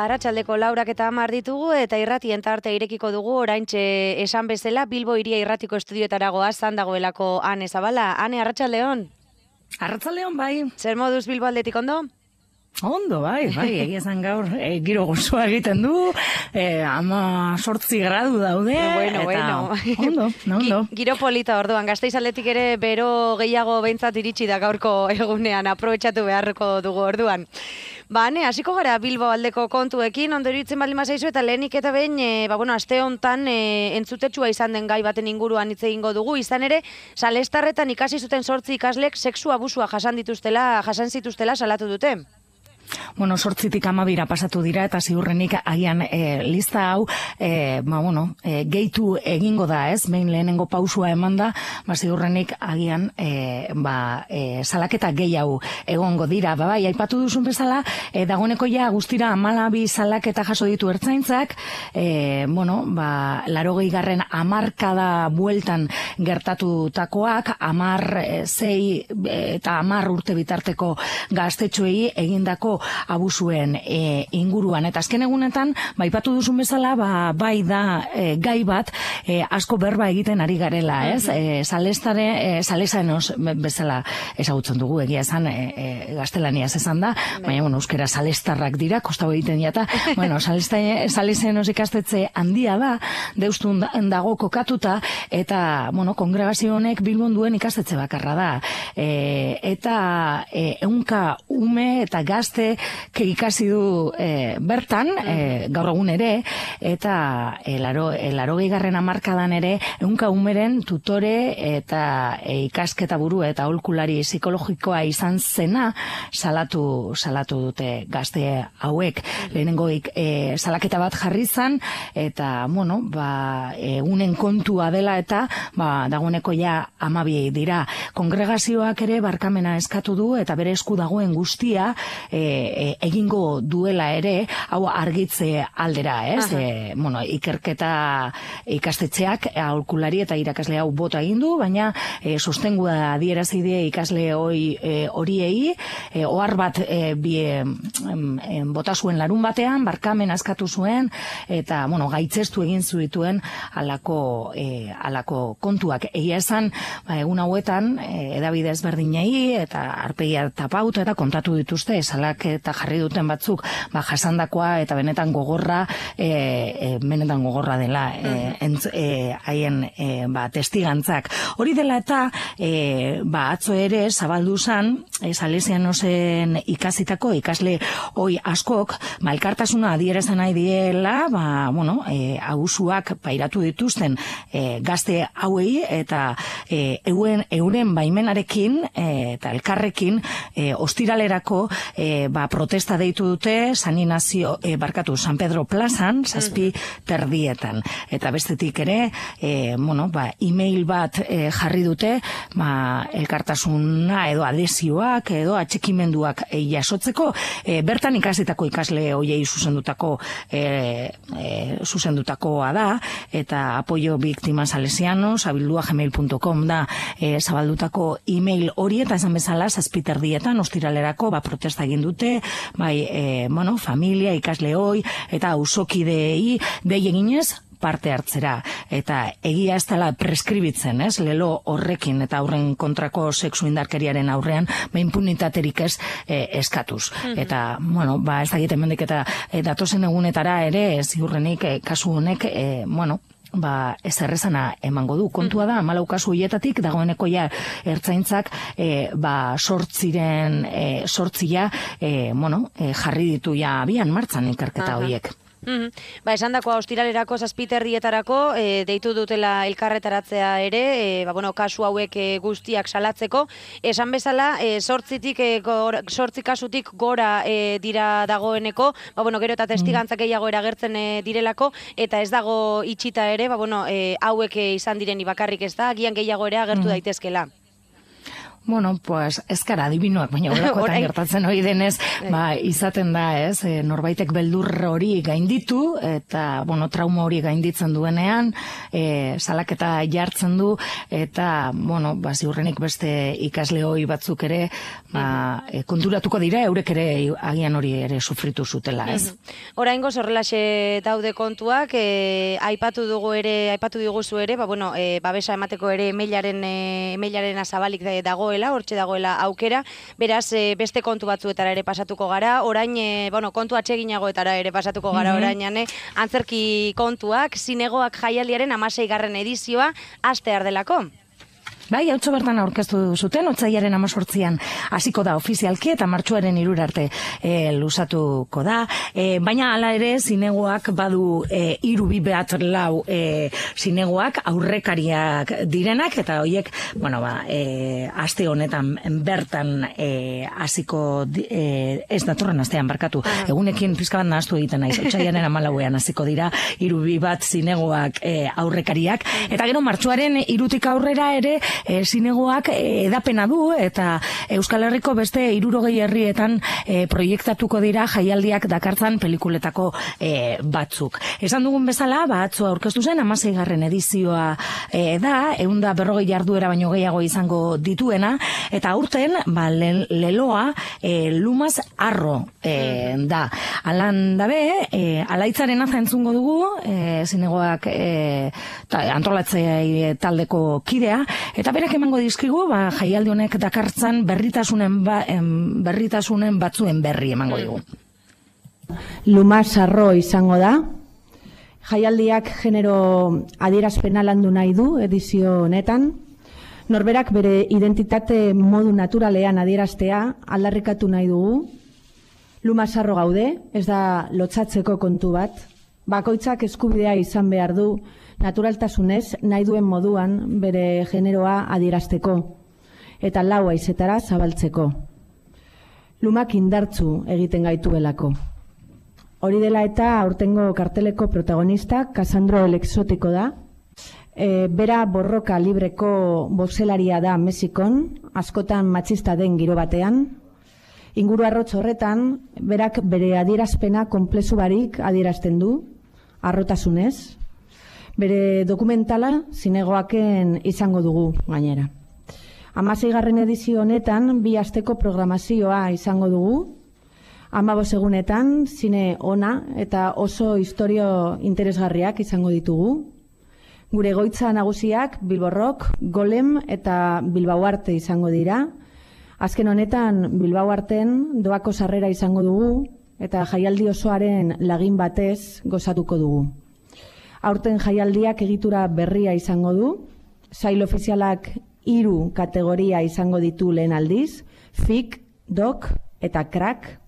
Arratsaldeko 4:10 ditugu eta irratien tarte irekiko dugu oraintxe esan bezala Bilbo Hiria Irratiko estudioetara goaz dagoelako Ane Zabala. Ane, arratsaldeon. Arratsaldeon bai. Zer moduz Bilbo aldetik ondo? Ondo, bai, egia esan gaur giro gozoa egiten du, 18 gradu daude, Bueno. Ondo. Giro polita orduan, Gasteiz aldetik ere bero gehiago behintzat iritsi da gaurko egunean, aprobetxatu beharreko dugu orduan. Ane, hasiko gara Bilbo aldeko kontuekin, ondo iruditzen baldin bazaizu eta lehenik eta behin, aste hontan entzutetsua izan den gai baten inguruan hitz egingo dugu, izan ere, Salestarretan ikasi zuten 8 ikaslek sexu abusua jasan zituztela salatu dute. Bueno, 8tik 12 pasatu dira eta ziurrenik agian lista hau gehitu egingo da, ez? Behin lehenengo pausua emanda, ziurrenik agian salaketa gehiago egongo dira. Bai, aipatu duzun bezala, dagoeneko ja guztira 12 salaketa jaso ditu ertzaintzak, 80. hamarkada bueltan gertatutakoak, 6 eta 10 urte bitarteko gaztetxoei egindako abusuen inguruan. Eta azken egunetan, aipatu duzun bezala, bai da gai bat asko berba egiten ari garela, ez? Salesanoz bezala ezagutzen dugu, egia esan gaztelaniaz esan da, baina, euskera salestarrak dira, kostau egiten jata. Salesanoz ikastetxe handia da, deustun dago kokatuta, eta, kongregazio honek Bilbon duen ikastetxe bakarra da. Eta ehunka ume eta gazte ikasi du bertan, gaur egun ere, eta 80. hamarkadan ere, ehunka umeren tutore eta ikasketa buru eta aholkulari psikologikoa izan zena salatu dute gazte hauek. Lehenengo salaketa bat jarri zan, eta, egunen kontua dela eta, dagoeneko ja 12 dira. Kongregazioak ere barkamena eskatu du, eta bere esku dagoen guztia egingo duela ere, hau argitze aldera, ez? Ikerketa ikastetxeak aholkulari eta irakasle hau bota egin du, baina sostengua adierazi die ikasle horiei, ohar bat bota zuen larun batean, barkamen askatu zuen, eta, gaitzestu egin zituen alako kontuak. Egia esan, egun hauetan, edabide ezberdinei, eta arpegia tapauta eta kontatu dituzte, salaketa jarri duten batzuk, jasandakoa eta benetan gogorra dela haien testigantzak. Hori dela eta atzo ere zabaldu zan Salesianosen ikasitako ikasle hoi askok elkartasuna adierazten nahi diela abusuak pairatu dituzten gazte hauei eta euren baimenarekin eta elkarrekin ostiralerako protesta deitu dute San Pedro plazan, 7:30. Eta bestetik ere, email bat jarri dute, elkartasuna edo adesioak edo atxikimenduak jasotzeko, bertan ikasitako ikasle hoiei zuzendutakoa da, eta apoio biktima salesianos, abildua@gmail.com da zabaldutako email hori, eta esan bezala 7:30 ostiralerako protesta egin dute, familia, ikasle hoi, eta auzokideei dei eginez parte hartzera. Eta egia ez dela preskribitzen, ez? Lelo horrekin eta aurren kontrako sexu indarkeriaren aurrean, impunitaterik ez eskatuz. Eta, ez da egiten mendik eta datozen egunetara ere, ziurrenik kasu honek, ez errezana emango du. Kontua da, 14 kasu hietatik, dagoeneko ja ertzaintzak sortzia jarri ditu ja abian martzan ikerketa horiek. Esan dakoa ostiralerako 7:30 deitu dutela elkarretaratzea ere, kasu hauek guztiak salatzeko. Esan bezala, 8 kasutik gora dira dagoeneko, gero eta testigantzak gehiago eragertzen direlako, eta ez dago itxita ere, hauek izan direni bakarrik ez da, agian gehiago ere agertu daitezkela. Bueno, pues ez gara adibinoak, baina olakoetan gertatzen hori denez, izaten da, ez, norbaitek beldur hori gainditu, eta, bueno, trauma hori gainditzen duenean, salaketa jartzen du, eta, bueno, ziurrenik beste ikasle hori batzuk ere, konturatuko dira, eurek ere agian hori ere sufritu zutela, ez. Oraingoz horrelaxe daude kontuak, aipatu diguzu ere, babesa emateko ere emailaren azabalik dagoela, hortxe dagoela aukera, beraz beste kontu batzuetara ere pasatuko gara, orain, kontu atseginagoetara ere pasatuko gara orain, antzerki kontuak, zinegoak jaialdiaren 16. edizioa hastear delako. Bai, hautso bertan aurkeztu zuten, otsailaren 18an hasiko da ofizialki eta martxoaren 3 arte luzatuko da. Baina hala ere zinegoak badu 3-4 zinegoak aurrekariak direnak eta horiek, aste honetan bertan hasiko ez datorren astean barkatu. Egunekin pizka bat nahaztu egiten naiz. Otsailaren 14an hasiko dira 3-4 zinegoak aurrekariak eta gero martxoaren 3tik aurrera ere zinegoak edapena du eta Euskal Herriko beste 60 herrietan proiektatuko dira jaialdiak dakartzan pelikuletako batzuk. Esan dugun bezala, atzo aurkeztu zen 16. edizioa da, 140 jarduera baino gehiago izango dituena, eta aurten leloa Lumaz Arro da. Alan dabe, Alaitzaren aza entzungo dugu, zinegoak antolatzea taldeko kidea, eta berak emango dizkigu, jaialdi honek dakartzan berritasunen batzuen berri emango digu. Lumaz Arro izango da. Jaialdiak genero adierazpena landu nahi du edizio honetan. Norberak bere identitate modu naturalean adieraztea aldarrikatu nahi dugu. Lumaz Arro gaude, ez da lotsatzeko kontu bat. Bakoitzak eskubidea izan behar du naturaltasunez nahi duen moduan bere generoa adierazteko eta lau haizetara zabaltzeko. Lumak indartzu egiten gaituelako. Hori dela eta aurtengo karteleko protagonista Kasandro el Exotiko da. Bera borroka libreko boxelaria da Mexikon, askotan matxista den giro batean. Inguru arrotz horretan, berak bere adierazpena konplexu barik adierazten du, harrotasunez. Bere dokumentala zinegoaken izango dugu gainera. 16. edizio honetan 2 asteko programazioa izango dugu. 15 egunetan zine ona eta oso istorio interesgarriak izango ditugu. Gure egoitza nagusiak Bilbo Rock, Golem eta Bilbao Arte izango dira. Azken honetan Bilbao Arten doako sarrera izango dugu eta jaialdi osoaren lagin batez gozatuko dugu. Aurten jaialdiak egitura berria izango du, sail ofizialak 3 kategoria izango ditu lehen aldiz, fik, dok eta crack.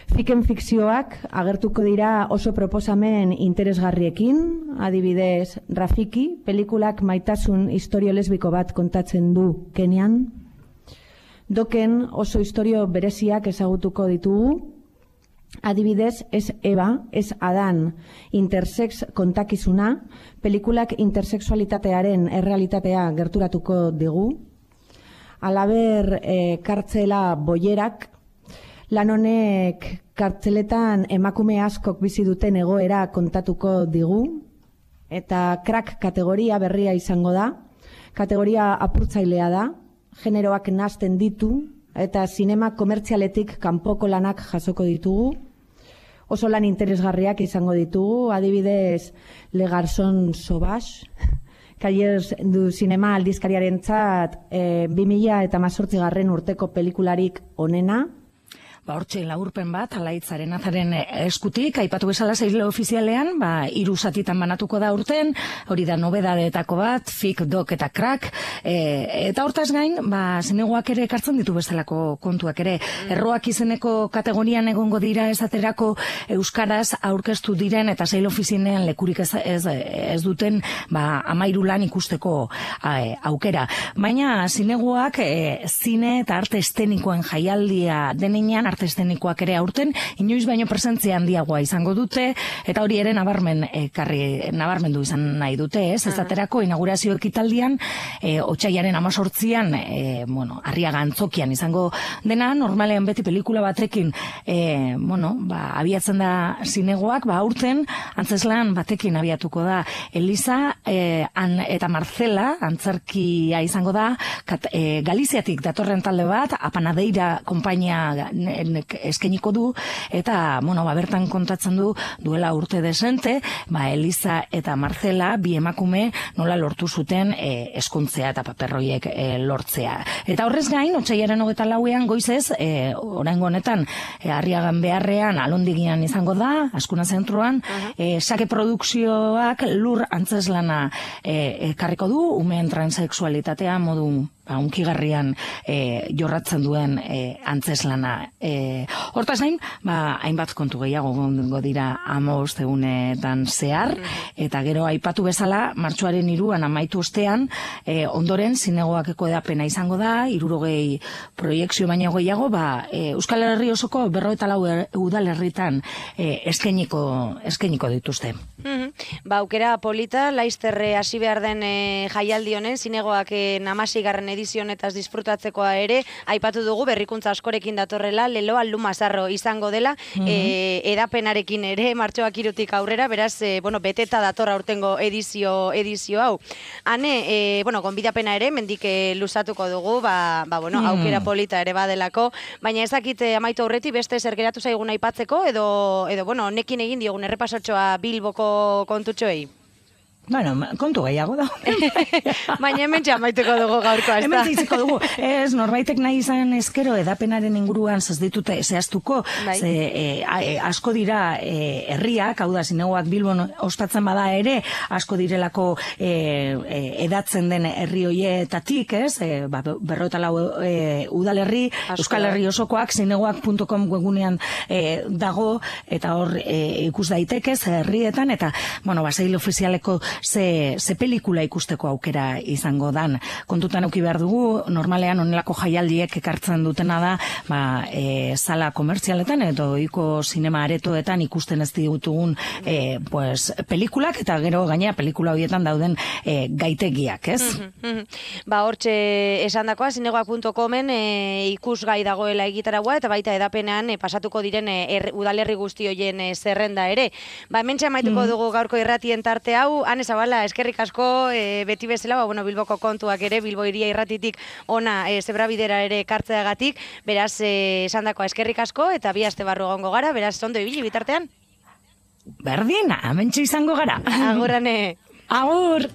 Fiken fikzioak agertuko dira oso proposamen interesgarriekin, adibidez Rafiki, pelikulak maitasun istorio lesbiko bat kontatzen du Kenian. Doken oso istorio bereziak ezagutuko ditugu, adibidez, ez Eva, ez Adan, intersex kontakizuna, pelikulak intersexualitatearen errealitatea gerturatuko digu. Halaber, kartzela boierak, lan honek kartzeletan emakume askok bizi duten egoera kontatuko digu, eta crack kategoria berria izango da, kategoria apurtzailea da, generoak nazten ditu, eta zinema komertzialetik kanpoko lanak jasoko ditugu. Oso lan interesgarriak izango ditugu, adibidez Le Garçon Sauvage, Cahiers du Cinema aldizkariaren txat 2018 urteko pelikularik onena. Hortxe laurpen bat, Alaitzaren azaren eskutik, aipatu bezala sail ofizialean, 3 zatitan banatuko da urten, hori da nobedadetako bat, fik, dok eta crack, eta hortaz gain, zinegoak ere ekartzen ditu bezalako kontuak ere. Erroak izeneko kategorian egongo dira esaterako euskaraz aurkeztu diren eta sail ofizialean lekurik ez duten 13 lan ikusteko aukera. Baina zinegoak zine eta arte estenikoen jaialdia denean arte eszenikoak ere aurten, inoiz baino presentzia handiagoa izango dute, eta hori ere nabarmendu izan nahi dute, ez? Ezaterako inaugurazio ekitaldian, otsailaren 18an, Arriaga Antzokian izango dena, normalean beti pelikula batekin, abiatzen da zinegoak, aurten antzeslan batekin abiatuko da Elisa eta Marcela, antzerkia izango da, Galiziatik datorren talde bat, Apanadeira konpainia eskainiko du, eta, bertan kontatzen duela urte desente, Elisa eta Marcela, bi emakume nola lortu zuten eskuntzea eta paperroiek lortzea. Eta horrez gain, otsailaren 24ean goizez, oraingo honetan, Arriagan beharrean, Alondigian izango da, Askuna zentroan, Sake Produkzioak lur antzeslana ekarriko du, umeen transexualitatea modu unkigarrian jorratzen duen antzeslana. Hortaz gain, hainbat kontu gehiago gongo dira 15 egunetan zehar, eta gero aipatu bezala, martxoaren 3an amaitu ostean, ondoren zinegoakeko edapena izango da, 60 proiekzio baino gehiago, Euskal Herri osoko 54 udalerritan eskainiko dituzte. Aukera polita, laizterre hasi behar den jaialdi honen, zinegoaken 16. edizio honetaz disfrutatzekoa ere, aipatu dugu berrikuntza askorekin datorrela, leloa Lumazarro izango dela, edapenarekin ere, martxoak 3tik aurrera, beraz, beteta dator aurtengo edizio hau. Hane, gonbidapena ere, mendik luzatuko dugu, aukera polita ere badelako, baina ezakit amaitu aurreti beste zer geratu zaigun aipatzeko, edo nekin egin diogun errepasotxoa Bilboko kontutxoei. Kontu gehiago da. Baina hemen txamaituko dugu gaurkoa, ez da? Hemen zitziko dugu. Ez, norbaitek nahi izan ezkero edapenaren inguruan ditute zehaztuko, asko dira herriak, hau da, zinegoak Bilbon ospatzen bada ere, asko direlako edatzen den herri hoietatik, ez? 54 udalerri, Euskal Herri osokoak, zinegoak.com webunean dago, eta hor ikus daiteke, herrietan, eta, sail ofizialeko ze pelikula ikusteko aukera izango dan. Kontutan eduki behar dugu, normalean onelako jaialdiek ekartzen dutena da, sala komertzialetan edo ohiko sinema aretoetan ikusten ez ditugun pelikulak, eta gero gainera pelikula horietan dauden gaitegiak, ez? Hortxe esandakoa, zinegoak.comen ikusgai dagoela egitaragua, eta baita edapenean pasatuko diren udalerri guzti hoien zerrenda ere. Hementxe amaituko dugu gaurko irratien tarte hau, Zabala, eskerrik asko, beti bezala, Bilboko kontuak ere, Bilbo Hiria Irratitik ona zebrabidera ere kartzeagatik, beraz, esandakoa eskerrik asko, eta bi aste barru egongo gara, beraz, ondo ibili bitartean? Berdin, hementxe izango gara. Agurrane. Agur!